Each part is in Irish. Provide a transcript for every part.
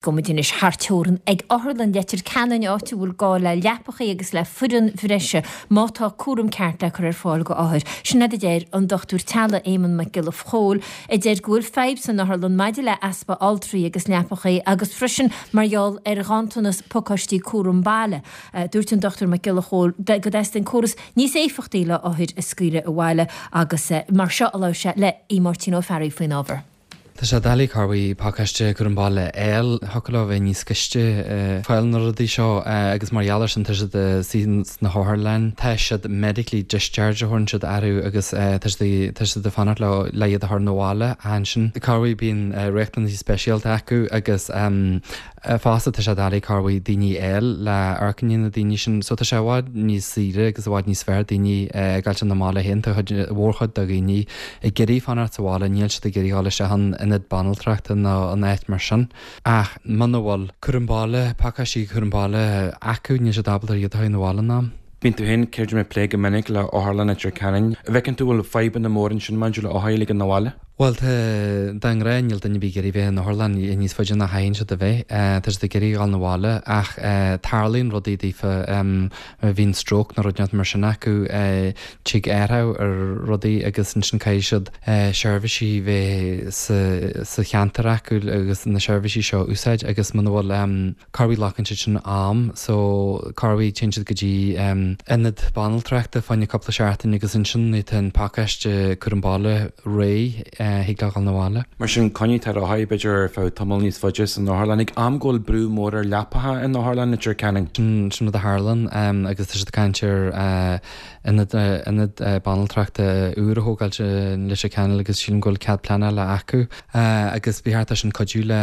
Gabhfaidh muid anois thar teorann ag Otharlann Leitir Ceanainn, áit a bhfuil gá le leapachaí agus le foireann bhreise má tá cúram ceart le cur ar fáil go othair. Sin rud a deir an dochtúir teaghlaigh Éamonn Mac Giolla Chóill, a deir go bhfuil fadhb san otharlann maidir le easpa altraí agus leapachaí agus freisin mar gheall ar ghanntanas pacáistí cúram baile. Dúirt an Dochtúir Mac Giolla Chóill go dteastaíonn córas níos éifeachtaí le othair a scaoileadh abhaile agus mar seo a labhair sé le Aodh Máirtín Ó Fearraigh faoin ábhar. Tá sé doiligh corruair pacáiste cúram baile a fháil. Thiocfadh leo bheith níos gaiste ag fáil na rudaí seo agus mar gheall air sin tá siad suí sna hotharlanna. Tá siad medically discharged a thabharann siad orthu agus tá siad tá siad ag fanacht leo le iad a chur 'na bhaile ansin. Corruair bíonn riachtanaisí speisialta acu agus Fosta tá sé doiligh corruair daoine a fháil le amharc i ndiaidh na daoine sin so tá sé i bhfad níos saoire agus i bhfad níos fearr daoine ag gabháilt 'na mbaile féin. Tá cuid mhórchuid de dhaoine ag iarraidh fanacht sa bhaile, níl siad ag iarraidh dhul isteach in ionad banaltrachta nó in áit mar sin. Ach muna bhfuil cúram baile, pacáistí cúram baile acu, níl siad ábalta iad a chur 'na bhaile in am. Bíonn tú féin, céard ag plé go minic le Otharlann Leitir Ceanainn. An bhfeiceann tú bhfuil fadhbanna móra ansin maidir le othair a ligean 'na bhaile? Bhuel, tá, de ghnáth níl duine ar bith ag iarraidh bheith in otharlann níos faide ná chaitheann siad a bheith. Tá siad ag iarraidh dhul 'na bhaile ach tarlaíonn rudaí daofa, má bhíonn stroke nó rud inteacht mar sin acu, tig athrú ar rudaí agus ansin caithfidh siad seirbhísí bheith sa cheantar acu agus na seirbhísí seo a úsáid agus muna bhfuil Corruair glacann siad sin am so corruair téann siad go dtí ionad banaltrachta fá choinne cúpla seachtain agus ansin nuair atá an pacáiste cúram baile réidh thig leo dhul 'na bhaile. Mar sin coinnítear othair b'fhéidir ar feadh tamall níos faide san otharlann ag am go bhfuil brú mór ar leapacha in Otharlann Leitir Ceanainn. Sin rud a tharlaíonn agus tá siad ag caint ar ionad ionad banaltrachta úr a thógáilt i Leitir Ceanainn agus sílim go bhfuil cead pleanála acu agus ba cheart é sin cuidiú le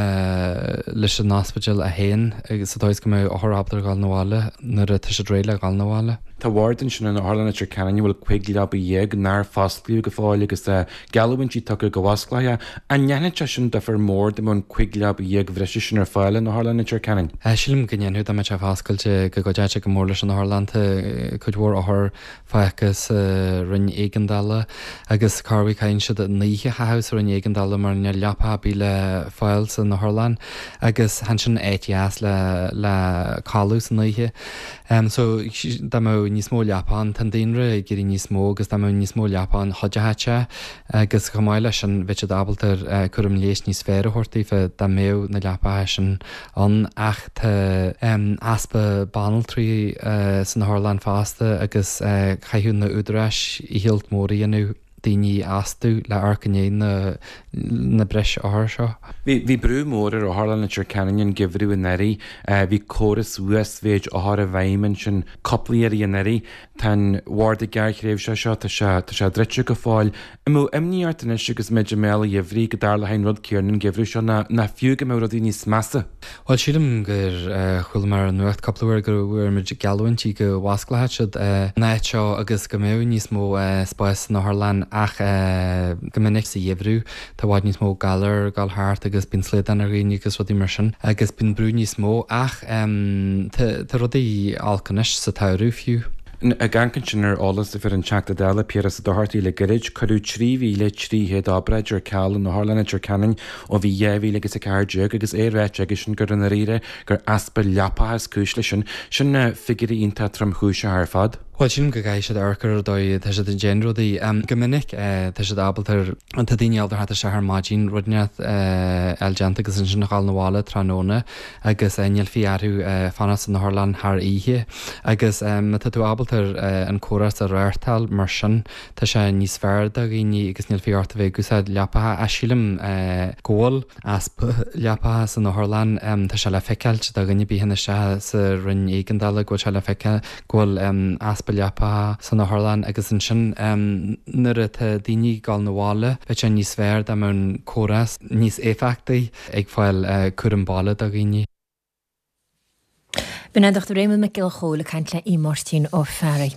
leis an ospidéal é féin agus sa dóigh is go mbeadh othair ábalta a dhul 'na bhaile nuair atá siad réidh le dhul 'na bhaile. Tá ward ansin in Otharlann Leitir Ceanainn a bhfuil 15 leaba nár fosclaíodh go fóill agus tá geallúintí tugtha go bhfosclófaí é. An ndéanfadh sé sin difear mór dá mbeadh an 15 leaba bhreise sin ar fáil in Otharlann Leitir Ceanainn? Sílim go ndéanfadh dá mbeadh sé foscailte go gcuideodh sé go mór leis an otharlann. Tá cuid mhór othar fágtha sa roinn éigeandála agus corruair caitheann siad an oíche a chaitheamh sa roinn éigeandála mar níl leapa ar bith le fáil san otharlann agus chan sin áit dheas le le codladh san oíche. So dá mbeadh níos mó leapa ann, tá an daonra ag éirí níos mó agus dá mbeadh níos mó leapa ann chuideodh sé agus chomh maith leis sin bheadh siad ábalta cúram leighis níos fearr a thabhairt daofa dá mbeadh na leapacha sin ann ach tá easpa banaltraí san otharlann fosta agus chaithfeadh na údaráis iarracht mór a dhéanamh daoine a fhostú le amharc i ndiaidh na na breis othar seo. Bhí bhí brú mór ar Otharlann Leitir Ceanainn an geimhreadh anuraidh. Bhí córas uasmhéid othar i bhfeidhm ansin cúpla iarraidh anuraidh. Tá an bharda gearrthréimhseach seo, tá sé tá sé druidte go fóill. An mbeadh imní ort anois agus muid i mbéal an gheimhridh go dtarlódh an rud céanna an geimhreadh seo ná ná fiú go mbeadh rudaí níos measa? Bhuel, sílim gur chuala mé ar an nuacht cúpla uair go bhfuair muid geallúintí go bhfosclódh siad an áit seo agus go mbeadh níos mó spáis san otharlann ach go minic sa gheimhreadh tá i bhfad níos mó galar ag dul thart agus bíonn slaghdán ar dhaoine agus rudaí mar sin agus bíonn brú níos mó ach tá rudaí olc anois sa tsamhradh fiú. Ag amharc ansin ar eolas a fuair an Teachta Dála Piaras Ó Dochartaigh le gairid, cuireadh 3,300 obráid ar ceal in Otharlann Leitir Ceanainn ó bhí 2014 agus é ráite aigesean gur i ndáiríre gur easpa leapacha is cúis leis sin. Sin figiúirí iontach tromchúiseacha ar fad. Bhuel, sílim go gcaithfidh siad amharc ar an dóigh atá siad ag déanamh rudaí. Go minic tá siad ábalta, tá daoine ábalta theacht isteach ar maidin, rud inteacht a fháil déanta agus ansin a dhul 'na bhaile tráthnóna agus níl fiach orthu fanacht san otharlann thar oíche. Agus má tá tú ábalta an córas a reáchtáil mar sin, Tá sé níos fearr do dhaoine agus níl fiach ort a bheith ag úsáid leapacha ach sílim go bhfuil easpa leapacha san otharlann. Tá sé le feiceáilt do dhuine ar bith a théann isteach sa roinn éigeandála go bhfuil sé le feiceáil go bhfuil easpa leapacha san otharlann agus ansin nuair atá daoine ag dul 'na bhaile bheadh sé níos fearr dá mbeadh an córas níos éifeachtaí ag fáil cúram baile do dhaoine. B'in é an Dr Éamonn Mac Giolla Chóill ag caint le Aodh Máirtín Ó Fearraigh.